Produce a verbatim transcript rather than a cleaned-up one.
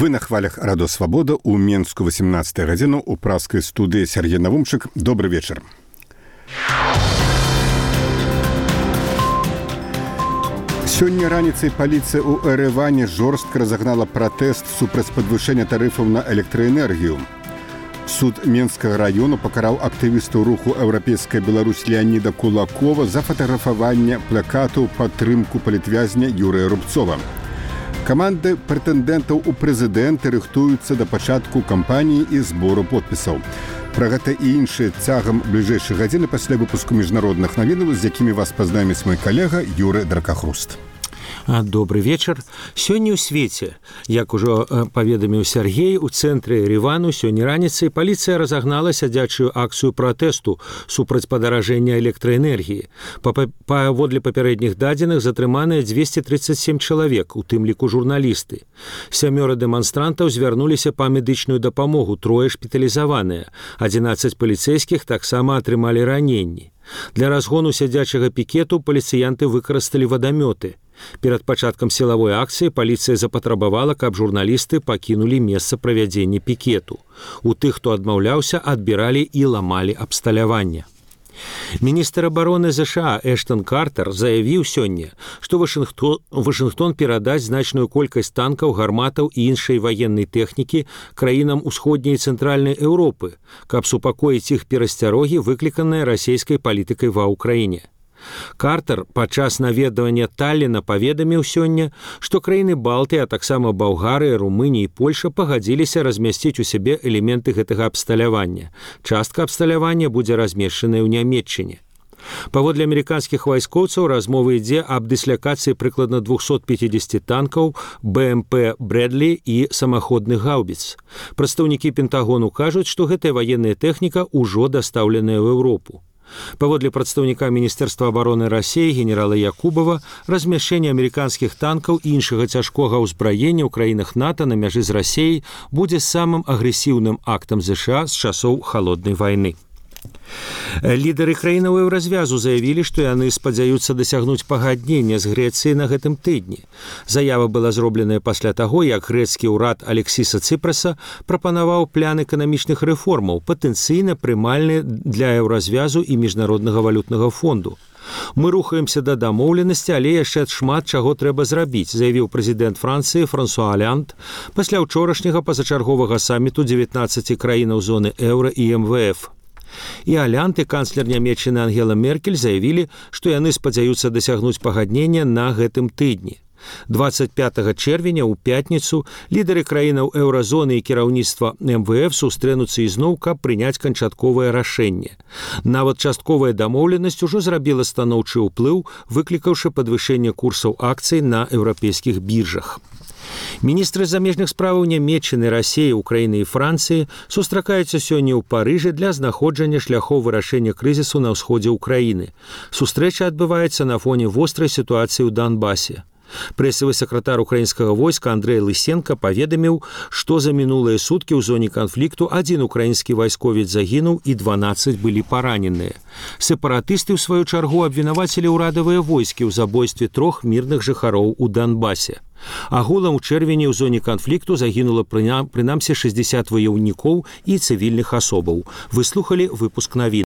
Вы на хвалях Радо Свабода у Менску восемнадцатую гадзіну у праскай студыі Сергей Навумчык. Добрый вечер. Сёння раніцай паліцыя ў Эрэване жорстка разагнала пратэст супраць падвышэння тарыфаў на электраэнергію. Суд Менскага району пакараў актывістаў руху «Еўрапейская Беларусь» Леаніда Кулакова за фатаграфаванне плакату падтрымку палітвязня Юрыя Рубцова. Каманды прэтэндэнтаў у прэзідэнты рыхтуюцца да пачатку кампаніі і збору подпісаў. Пра гэта і іншыя цягам бліжэйшай гадзіны пасля выпуску міжнародных навінаў, з якімі вас пазнаміць мой калега Юры Дракахруст. Добрый вечер. Сёння ў свеце, як ужо паведаміў Сергей, у цэнтры Еревану сёння раніцай паліцыя разагнала сядзячую акцыю пратэсту супраць падаражэння электраэнергіі. Паводле папярэдніх дадзеных затрыманыя дзвесце трыццаць сем чалавек, у тым ліку журналісты. Сямёра дэманстрантаў звярнуліся па медычную дапамогу, трое шпіталізаваныя. адзінаццаць паліцэйскіх таксама атрымалі раненні. Для разгону сядзячага пікету паліцыянты выкарысталі вадамёты. Перад пачаткам сілавой акцыі паліцыя запатрабавала, каб журналісты пакінулі месца правядзення пікету. У тых, хто адмаўляўся, адбіралі і ламалі абсталяванне. Міністр абароны ЗША Эштон Картер заявіў сёння, што Вашынгтон, Вашынгтон перадаць значную колькасць танкаў, гарматаў і іншай ваеннай тэхнікі краінам усходняй і цэнтральнай Еўропы, каб супакоіць іх перасцярогі, выкліканыя расійскай палітыкай ва ўкраіне. Картер падчас наведвання Талліна паведаміў сёння, што краіны Балтыі, а таксама Балгарыя, Румынія і Польша пагадзіліся размясціць у сябе элементы гэтага абсталявання. Частка абсталявання будзе размешчаная ў Нямецчыне. Паводле амерыканскіх вайскоўцаў размова ідзе аб дыслякацыі прыкладна двухсот пяцідзесяці танкаў, бэ эм пэ «Брэдлі» і самаходных гаўбіц. Прадстаўнікі Пентагону кажуць, што гэтая ваенная тэхніка ўжо дастаўленая ў Еўропу. Паводле прадстаўніка Міністэрства абароны Расіі генерала Якубова, размяшчэнне амерыканскіх танкаў і іншага цяжкога ўзбраення ў краінах НАТО на мяжы з Расіяй будзе самым агрэсіўным актам ЗША з часоў халоднай вайны. Лідары краінаў еўразвязу заявілі, што яны спадзяюцца дасягнуць пагаднення з Грэцыяй на гэтым тыдні. Заява была зробленая пасля таго, як грэцкі ўрад Алексіса Цыпраса прапанаваў план эканамічных рэформаў, патэнцыйна прымальны для еўразвязу і міжнароднага валютнага фонду. Мы рухаемся да дамоўленасці, але яшчэ шмат чаго трэба зрабіць, заявіў прэзідэнт Францыі Франсуа Алянт пасля ўчорашняга пазачарговага саміту дзевятнаццаці краінаў зоны еўра і эм вэ эф. І Алянт і канцлер Нямецчыны Ангела Меркель заявілі, што яны спадзяюцца дасягнуць пагаднення на гэтым тыдні. дваццаць пятага чэрвеня ў пятніцу лідары краінаў еўразоны і кіраўніцтва эм вэ эф сустрэнуцца ізноў, каб прыняць канчатковае рашэнне. Нават частковая дамоўленасць ужо зрабіла станоўчы ўплыў, выклікаўшы падвышэнне курсаў акцый на еўрапейскіх біржах. Міністры замежных справаў Нямецчыны, Расіі, Украіны і Францыі сустракаюцца сёння ў Парыжы для знаходжання шляхоў вырашэння крызісу на ўсходзе ўкраіны. Сустрэча адбываецца на фоне вострай сітуацыі ў Донбасе. Прэсавы сакратар украінскага войска Андрэй Лысенка паведаміў, што за мінулыя суткі ў зоне канфлікту адзін украінскі вайсковец загінуў і дванаццаць былі параненыя. Сепаратысты, ў сваю чаргу, абвінавацілі ўрадавыя войскі ў забойстве трох мірных жыхароў у Донбасе. Агулам у чэрвені ў зоне канфлікту загінула прынамсі шэсцьдзесят ваяўнікоў і цывільных асобаў. Выслухалі выпуск навін.